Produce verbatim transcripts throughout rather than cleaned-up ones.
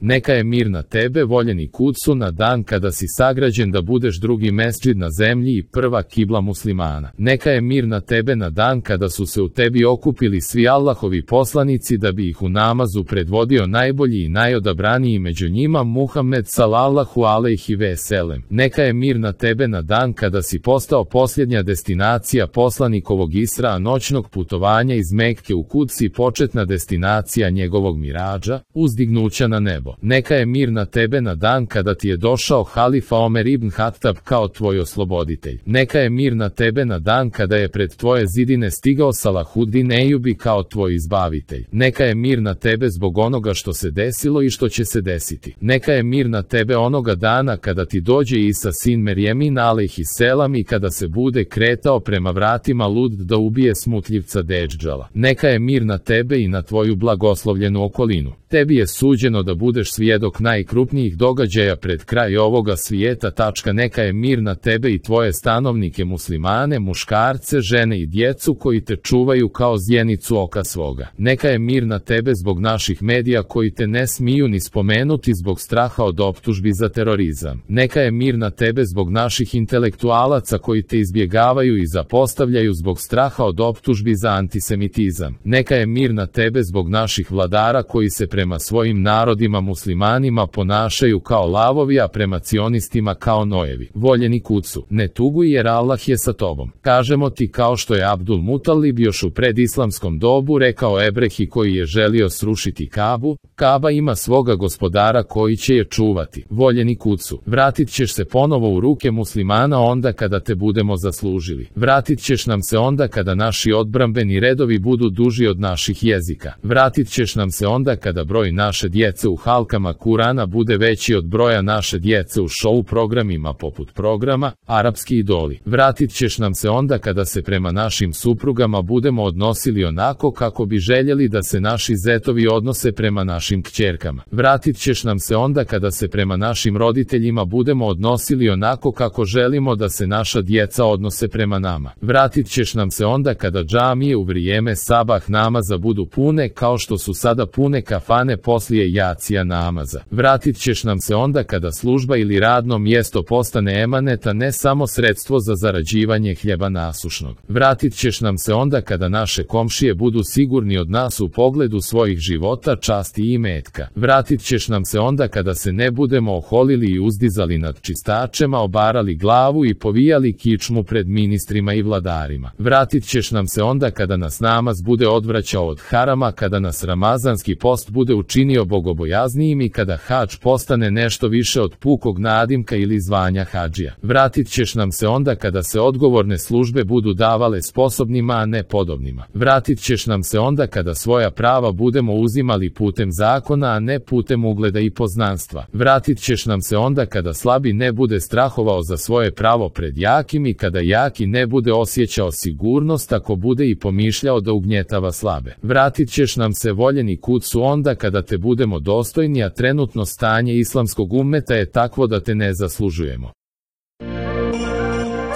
Neka je mir na tebe, voljeni Kudsu, na dan kada si sagrađen da budeš drugi mesdžid na zemlji i prva kibla muslimana. Neka je mir na tebe na dan kada su se u tebi okupili svi Allahovi poslanici da bi ih u namazu predvodio najbolji i najodabraniji među njima Muhammed sallallahu alejhi ve selem. Neka je mir na tebe na dan kada si postao posljednja destinacija poslanikovog Isra, noćnog putovanja iz Mekke u Kuds i početna destinacija njegovog miradža, uzdignuća na nebo. Neka je mir na tebe na dan kada ti je došao halifa Omer ibn Hatab kao tvoj osloboditelj. Neka je mir na tebe na dan kada je pred tvoje zidine stigao Salahuddin Ejubi kao tvoj izbavitelj. Neka je mir na tebe zbog onoga što se desilo i što će se desiti. Neka je mir na tebe onoga dana kada ti dođe Isa sin Merjemin alejhi selam i kada se bude kretao prema vratima lud da ubije smutljivca Dedžala. Neka je mir na tebe i na tvoju blagoslovljenu okolinu. Tebi je suđeno da budeš svjedok najkrupnijih događaja pred kraj ovoga svijeta. Tačka. Neka je mir na tebe i tvoje stanovnike muslimane, muškarce, žene i djecu koji te čuvaju kao zjenicu oka svoga. Neka je mir na tebe zbog naših medija koji te ne smiju ni spomenuti zbog straha od optužbi za terorizam. Neka je mir na tebe zbog naših intelektualaca koji te izbjegavaju i zapostavljaju zbog straha od optužbi za antisemitizam. Neka je mir na tebe zbog naših vladara koji se prema svojim narodima muslimanima ponašaju kao lavovi, a prema cionistima kao nojevi. Voljeni Kudsu, ne tuguj jer Allah je sa tobom. Kažemo ti kao što je Abdul Mutalib još u predislamskom dobu rekao Ebrehi koji je želio srušiti Kabu, Kaba ima svoga gospodara koji će je čuvati. Voljeni Kudsu, vratit ćeš se ponovo u ruke muslimana onda kada te budemo zaslužili. Vratit ćeš nam se onda kada naši odbrambeni redovi budu duži od naših jezika. Vratit ćeš nam se onda kada broj naše djece u halkama Kurana bude veći od broja naše djece u show programima poput programa Arapski idoli. Vratit ćeš nam se onda kada se prema našim suprugama budemo odnosili onako kako bi željeli da se naši zetovi odnose prema našim kćerkama. Vratit ćeš nam se onda kada se prema našim roditeljima budemo odnosili onako kako želimo da se naša djeca odnose prema nama. Vratit ćeš nam se onda kada džamije u vrijeme sabah namaza budu pune kao što su sada pune kafane poslije jacija namaza. Vratit ćeš nam se onda kada služba ili radno mjesto postane emaneta, ne samo sredstvo za zarađivanje hljeba nasušnog. Vratit ćeš nam se onda kada naše komšije budu sigurni od nas u pogledu svojih života, časti i imetka. Vratit ćeš nam se onda kada se ne budemo oholili i uzdizali nad čistačema, obarali glavu i povijali kičmu pred ministrima i vladarima. Vratit ćeš nam se onda kada nas namaz bude odvraćao od harama, kada nas ramazanski post bude učinio bogobojaznijim i kada hadž postane nešto više od pukog nadimka ili zvanja hadžija. Vratit ćeš nam se onda kada se odgovorne službe budu davale sposobnima, a ne podobnima. Vratit ćeš nam se onda kada svoja prava budemo uzimali putem zakona, a ne putem ugleda i poznanstva. Vratit ćeš nam se onda kada slabi ne bude strahovao za svoje pravo pred jakim i kada jaki ne bude osjećao sigurnost ako bude i pomišljao da ugnjetava slabe. Vratit ćeš nam se, voljeni Kudsu, onda kada te budemo dostojni, a trenutno stanje islamskog ummeta je takvo da te ne zaslužujemo.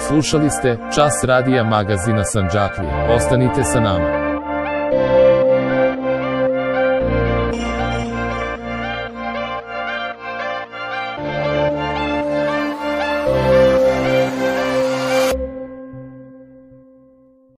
Slušali ste Čas radija magazina Sandžaklija. Ostanite sa nama.